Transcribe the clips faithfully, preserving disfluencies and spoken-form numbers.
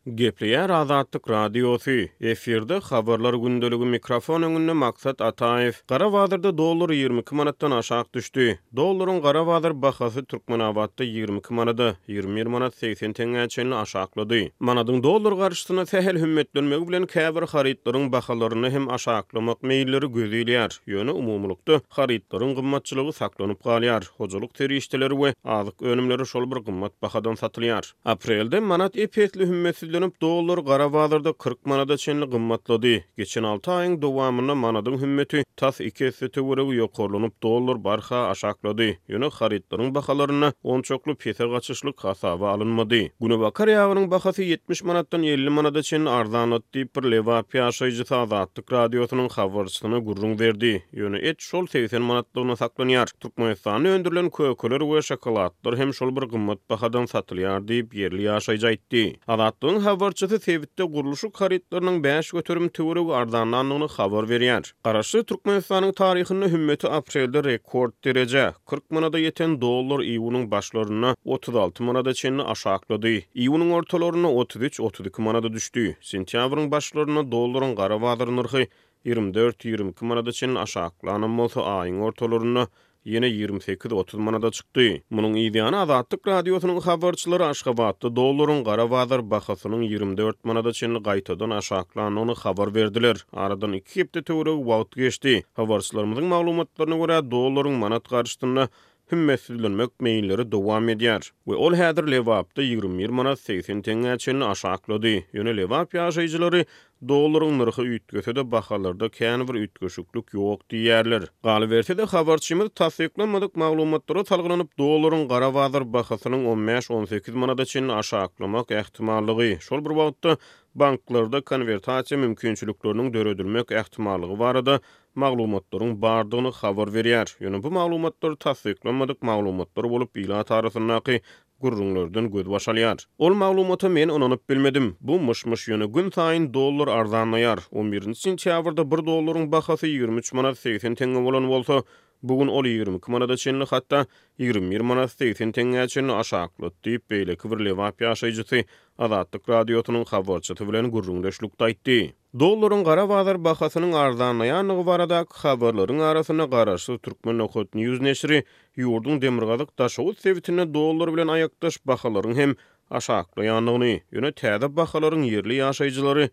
Gepleýär Azatlyk Radiosy, efirde Habarlar gündeligi, mikrofon öňünde Maksat Ataýew. Gara bazarda dollar ýigrimi iki manatdan aşak düşdi. Dollaryň gara bazar bahasy Türkmenabatda ýigrimi iki manada, ýigrimi bir manat segsen teňňä çenli aşaklady. Manadyň dollar garşysyna sähel hümmetlenmegi bilen käbir harytlaryň bahalarynda hem aşaklamak meýilleri göz ilýär. Ýöne umumylykda harytlaryň gymmatçylygy saklanyp galýar. Hojalyk serişdeleri we azyk önümleri şol bir gymmat bahadan satylýar. Aprelde manat ep-esli hümmetsizlenip, dollar gara bazarda kyrk manada çenli gymmatlady. Geçen alty aýyň dowamynda manadyň hümmeti tas iki esse töweregi ýokarlanyp, dollar barha aşaklady. Ýöne harytlaryň bahalarynda onçakly pese gaçyşlyk hasaba alynmady. Günebakar ýagynyň bahasy ýetmiş manatdan elli manada çenli arzanlady diýip, bir Lebap ýaşaýjysy Azatlyk Radiosynyň habarçysyna gürrüň berdi. Ýöne et şol segsen manatlygyna saklanýar. Türkmenistanda öndürilen kökeler we şokoladlar hem şol bir gymmat bahadan satylýar diýip, ýerli ýaşaýjy aýtdy. Azatlygyň habarçysy sebitde gurluşyk harytlarynyň bäş göterim töweregi arzanlandygyny habar berýär. Garaşsyz Türkmenistanyň taryhynda hümmeti aprelde rekord derejä, kyrk manada ýeten dollar iýunyň başlarynda otuz alty manada çenli aşaklady. Iýunyň ortalarynda otuz üç, otuz iki manada düşdi. Sentýabryň başlarynda dollaryň gara bazar nyrhy ýigrimi dört, ýigrimi iki manada çenli aşaklanam bolsa, aýyň ortalarynda ýene ýigrimi sekiz, otuz manada çykdy. Munuň yzýany Azatlyk Radiosynyň habarçylary Aşgabatda dollaryň gara bazar bahasynyň ýigrimi dört manada çenli gaýtadan aşaklandygyny habar berdiler. Aradan iki hepde töweregi wagt geçdi. Habarçylarymyzyň maglumatlaryna görä, dollaryň manat garşysynda hümmetsizlenmek meýilleri dowam edýär we ol häzir Lebapda ýigrimi bir manat segsen teňňä çenli aşaklady. Ýöne Lebap ýaşaýjylary dollaryň nyrhy üýtgese-de bahalarda kän bir üýtgeşiklik ýok diýýärler. Galyberse-de habarçymyz tassyklanmadyk maglumatlara salgylanyp dollaryň gara bazar bahasynyň on bäş on sekiz manada çenli aşaklamak ähtimallygy, şol bir wagtda banklarda konwertasiýa mümkinçilikleriniň döredilmek ähtimallygy barada maglumatlaryň bardygyny habar berýär. Ýöne bu maglumatlar tassyklanmadyk maglumatlar bolup ilat arasyndaky gürrüňlerden göz baş alýar. Ol maglumata men ynanyp bilmedim. Bu myş-myş ýöne gün saýyn dollar arzanlaýar. on birinji sentýabrda bir dollaryň bahasy ýigrimi üç manat segsen teňňe bolan bolsa, bugün ol ýigrimi iki manada çenli, hatda ýigrimi bir manat segsen teňňä çenli aşaklady diýip, beýleki bir Lebap ýaşaýjysy Azatlyk Radiosynyň habarçysy bilen gürrüňdeşlikde aýtdy. Dollaryň gara bazar bahasynyň arzanlaýandygy baradaky habarlaryň arasynda garaşsyz Türkmen Nokat News neşiri ýurduň demirgazyk Daşoguz sebitinde dollar bilen aýakdaş bahalaryň hem aşaklaýandygyny, ýöne täze bahalaryň ýerli ýaşaýjylary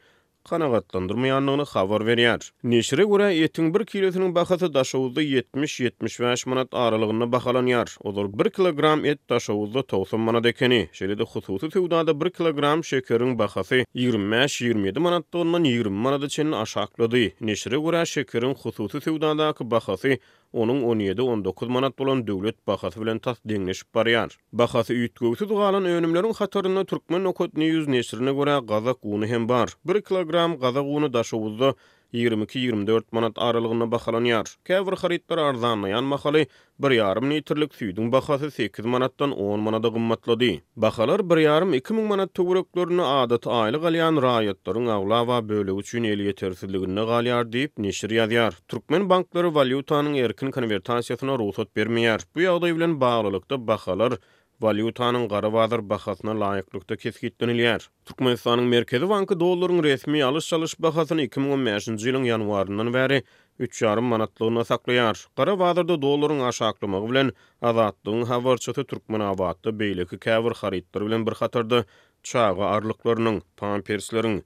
kanagatlandyrmaýandygyny habar berýär. Neşire görä, etiň bir kilosynyň bahasy Daşoguzda ýetmiş ýetmiş bäş manat aralygynda bahalanýar. Ozal bir kilogram et Daşoguzda togsan manat ekeni. Şeýle-de hususy söwdada bir kilogram şekeriň bahasy ýigrimi bäş ýigrimi ýedi manatlygyndan ýigrimi manada çenli aşaklady. Neşire görä, şekeriň hususy söwdadaky bahasy onuň on ýedi on dokuz manat bolan döwlet bahasy bilen tas deňleşip barýar. Bahasy üýtgewsiz galan önümleriň hatarynda Türkmen Nokat News neşirine görä gazak uny hem bar. Bir kilogram gazak uny Daşoguzda ýigrimi iki ýigrimi dört manat aralygynda bahalanýar. Käbir harytlar arzanlaýan mahaly bir ýarym litrlik süýdüň bahasy sekiz manatdan on manada gymmatlady. Bahalar bir ýarym iki müň manat töwereklerinde adaty aýlyk alýan raýatlaryň aglaba bölegi üçin elýetersizliginde galýar diýip neşir ýazýar. Türkmen banklary walýutanyň erkin konwertasiýasyna rugsat bermeýär. Bu ýagdaý bilen baglylykda bahalar walýutanyň gara bazar bahasyna laýyklykda kesgitlenilýär. Türkmenistanyň Merkezi banky dollaryň resmi alyş-çalyş bahasyny iki müň on bäşinji ýylyň ýanwaryndan bäri üç ýarym manatlygyna saklaýar. Gara bazarda dollaryň aşaklamagy bilen Azatlygyň habarçysy Türkmenabatda beýleki käbir harytlar bilen bir hatarda çaga arlyklarynyň, pampersleriň,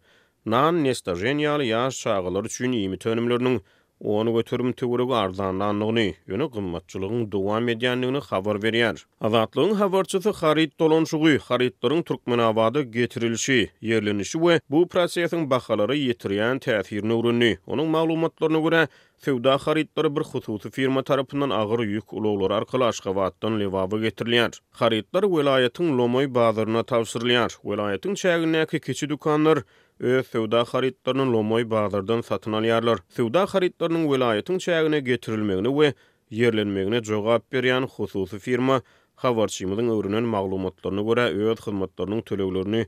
nan, nestažen ýaly ýaş çagalar üçin iýmit önümleriniň on göterim töweregi arzanlandygyny, ýöne gymmatçylygyň dowam edýändigini habar berýär. Azatlygyň habarçysy haryt dolanşygy, harytlaryň Türkmenabada getirilişi, ýerlenişi we bu prosesiň bahalara ýetirýän täsirini öwrendi. Onuň maglumatlaryna görä, söwda harytlary bir hususy firma tarapyndan agyr ýük ulaglary arkaly Aşgabatdan Lebaba getirilýär. Harytlar welaýatyň Lomaý bazaryna tabşyrylýar. Welaýatyň çägindäki kiçi dükanlar öz söwda harytlaryny Lomaý bazardan satyn alýarlar. Söwda harytlarynyň welaýatyň çägine getirilmegine we ýerlenmegine jogap berýän hususy firma habarçymyzyň öwrenen maglumatlaryna görä öz hyzmatlarynyň töleglerini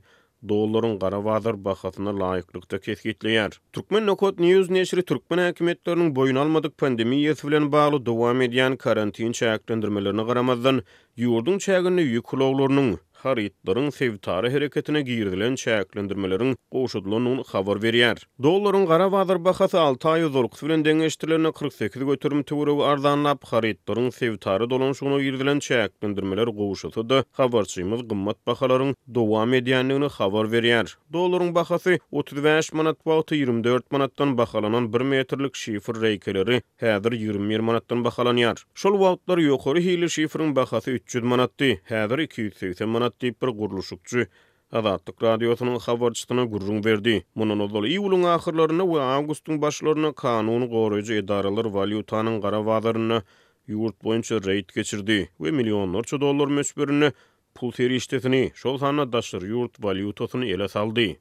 dollaryň gara bazar bahasyna laýyklykda kesgitleýär. Türkmen Nokat News neşiri türkmen häkimiýetleriniň boýun almadyk pandemiýasy bilen bagly dowam edýän karantin çäklendirmelerine garamazdan ýurduň çäginde ýük ulaglarynyň, harytlaryň sebitara hereketine girizilen çäklendirmeleriň gowşadylandygyny habar berýär. Dollaryň gara bazar bahasy alty aý ozalkysy bilen deňeşdirilende kyrk sekiz göterim töweregi arzanlap, harytlaryň sebitara dolanyşygyna girizilen çäklendirmeler gowşasa-da, habarçymyz gymmat bahalaryň dowam edýändigini habar berýär. Dollaryň bahasy otuz bäş manat wagty ýigrimi dört manatdan bahalanan bir metrlik şifr reýkeleri häzir ýigrimi bir manatdan bahalanýar. Şol wagtlar ýokary hilli şifriň bahasy üç ýüz manatdy, häzir iki ýüz segsen manat diýip bir gurluşykçy Azatlyk Radiosynyň habarçysyna gürrüň berdi. Mundan ozal iýulyň ahyrlarynda we awgustyň başlarynda kanun goraýjy edaralar walýutanyň gara bazarynda ýurt boýunça reýd geçirdi we millionlarça dollar möçberinde pul serişdesini, şol sanda daşary ýurt walýutasyny ele saldy.